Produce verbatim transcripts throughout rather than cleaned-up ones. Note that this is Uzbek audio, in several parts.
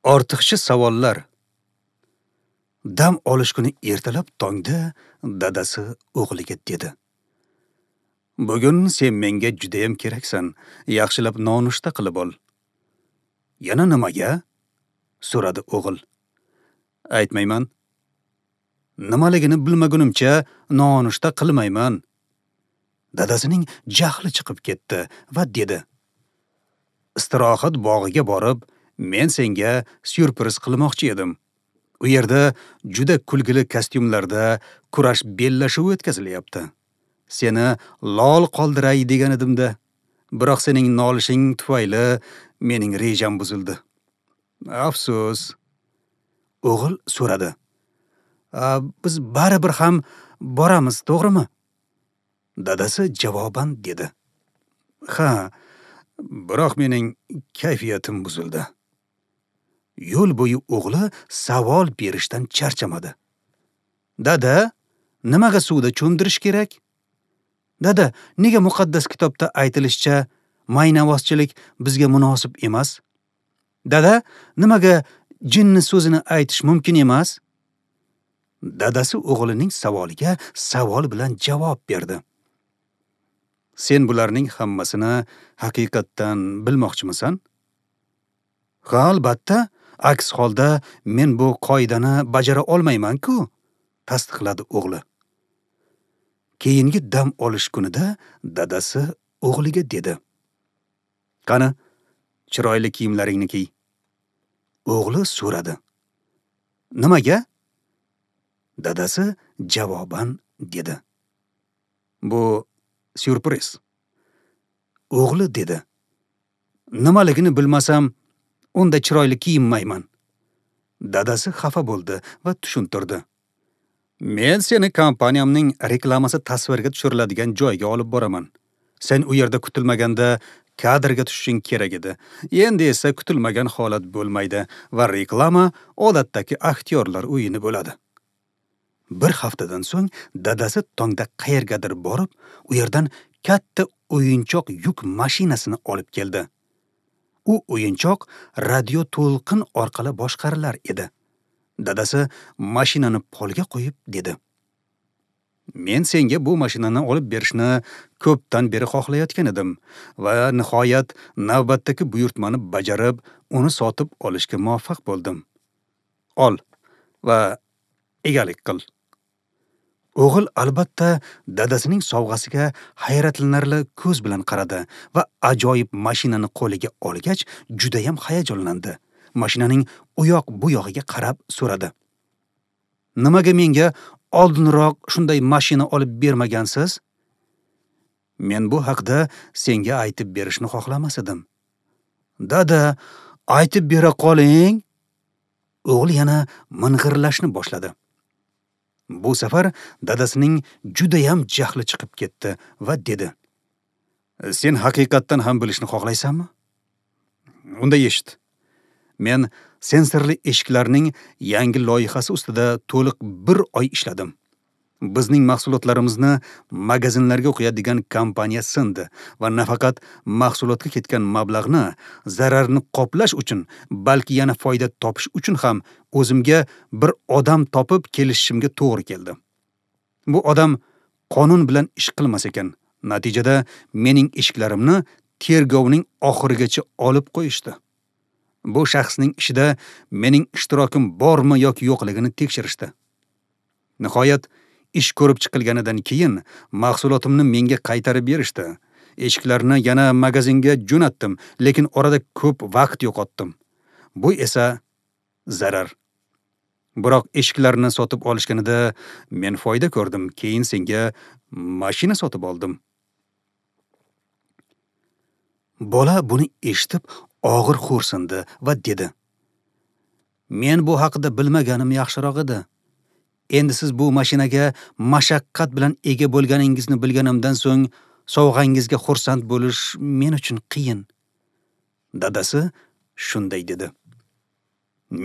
Ortiqcha savollar. Dam olish kuni ertalab tongda dadasi o'g'liga dedi: "Bugun sen menga judayam keraksan. Yaxshilab nonushta qilib ol." "Yana nimaga?" so'radi o'g'il. "Aytmayman. Nimaligini bilmagunimcha nonushta qilmayman." Dadasining jahli chiqib ketdi va dedi: "Istirohat bog'iga borib, men senga syurpriz qilmoqchi edim. U yerda juda kulgili kostyumlarda kurash bellashuvi o'tkazilyapti. Seni lol qoldiray degan edimda, biroq sening nolishing tufayli mening rejam buzildi. Afsus." O'g'il so'radi: "Biz baribir ham boramiz, to'g'rimi?" Dadasi javoban dedi: "Ha, biroq mening kayfiyatim buzildi." Yo'l bo'yi o'g'li savol berishdan charchamadi. "Dada, nimaga suvda cho'mdirish kerak? Dada, nega muqaddas kitobda aytilishicha maynavozchilik bizga munosib emas? Dada, nimaga jinni so'zini aytish mumkin emas?" Dadasi o'g'lining savoliga savol bilan javob berdi. "Sen bularning hammasini haqiqatdan bilmoqchimisan?" "Ha, albatta. Aks holda men bu qoidani bajara olmayman-ku," tasdiqladi o'g'li. Keyingi dam olish kunida dadasi o'g'liga dedi: "Qani, chiroyli kiyimlaringni kiy." O'g'li so'radi: "Nimaga?" Dadasi javoban dedi: "Bu syurpriz." O'g'li dedi: "Nimaligini bilmasam, unda chiroyli kiyinmayman." Dadasi xafa bo'ldi va tushuntirdi: "Men seni kompaniyamning reklamasi tasvirga tushiriladigan joyga olib boraman. Sen u yerda kutilmaganda kadrga tushishing kerak edi. Endi esa kutilmagan holat bo'lmaydi va reklama odatdagi aktyorlar o'yini bo'ladi." Bir haftadan so'ng dadasi tongda qayergadir borib, u yerdan katta o'yinchoq yuk mashinasini olib keldi. U o'yinchoq radio to'lqin orqali boshqarilar edi. Dadasi mashinani polga qo'yib dedi: "Men senga bu mashinani olib berishni ko'pdan beri xohlayotgan edim va nihoyat navbatdagi buyurtmani bajarib, uni sotib olishga muvaffaq bo'ldim. Ol va egalik qil." O'g'il albatta dadasining sovg'asiga hayratlanarli ko'z bilan qaradi va ajoyib mashinani qo'liga olgach juda ham hayajonlandi. Mashinaning u yoq bu yog'iga qarab so'radi: "Nimaga menga oldinroq shunday mashina olib bermagansiz? Men bu haqda senga aytib berishni xohlamas edim." "Dada, aytib bera qoling." O'g'il yana ming'irlashni boshladi. Bu safar dadasining judayam jahli chiqib ketdi va dedi: "Sen haqiqatdan ham bilishni xohlaysanmi? Unda eshit. Men sensorli eshiklarning yangi loyihasi ustida to'liq bir oy ishladim. Bizning mahsulotlarimizni magazinlarga qo'yadigan kompaniya sindi va nafaqat mahsulotga ketgan mablag'ni, zararni qoplash uchun, balki yana foyda topish uchun ham o'zimga bir odam topib kelishimga to'g'ri keldi. Bu odam qonun bilan ish qilmas ekan. Natijada mening eshiklarimni tergovning oxirigacha olib qo'yishdi. Bu shaxsning ishida mening ishtirokim bormi yoki yo'qligini tekshirishdi. Nihoyat ish ko'rib chiqilganidan keyin mahsulotimni menga qaytarib berishdi. Eshiklarni yana magazinga jo'natdim, lekin orada ko'p vaqt yo'qotdim. Bu esa zarar. Biroq eshiklarni sotib olishganida men foyda ko'rdim. Keyin senga mashina sotib oldim." Bola buni eshitib og'ir xo'rsindi va dedi: "Men bu haqida bilmaganim yaxshiroq edi. Endi siz bu mashinaga mashaqqat bilan ega bo'lganingizni bilganimdan so'ng sovg'angizga xursand bo'lish men uchun qiyin." Dadasi shunday dedi: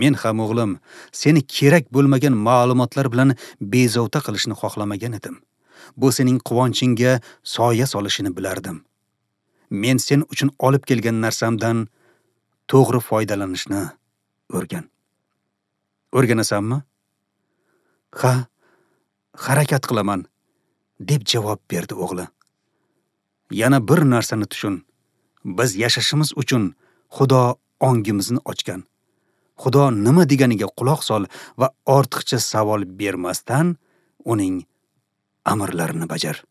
"Men ham o'g'lim, seni kerak bo'lmagan ma'lumotlar bilan bezovta qilishni xohlamagan edim. Bu sening quvonchingga soya solishini bilardim. Men sen uchun olib kelgan narsamdan to'g'ri foydalanishni o'rgan. O'rganasanmi? Ha, harakat qilaman, deb javob berdi o'g'li. Yana bir narsani tushun. Biz yashashimiz uchun Xudo ongimizni ochgan. Xudo nima deganiga quloq sol va ortiqcha savol bermasdan uning amrlarini bajar.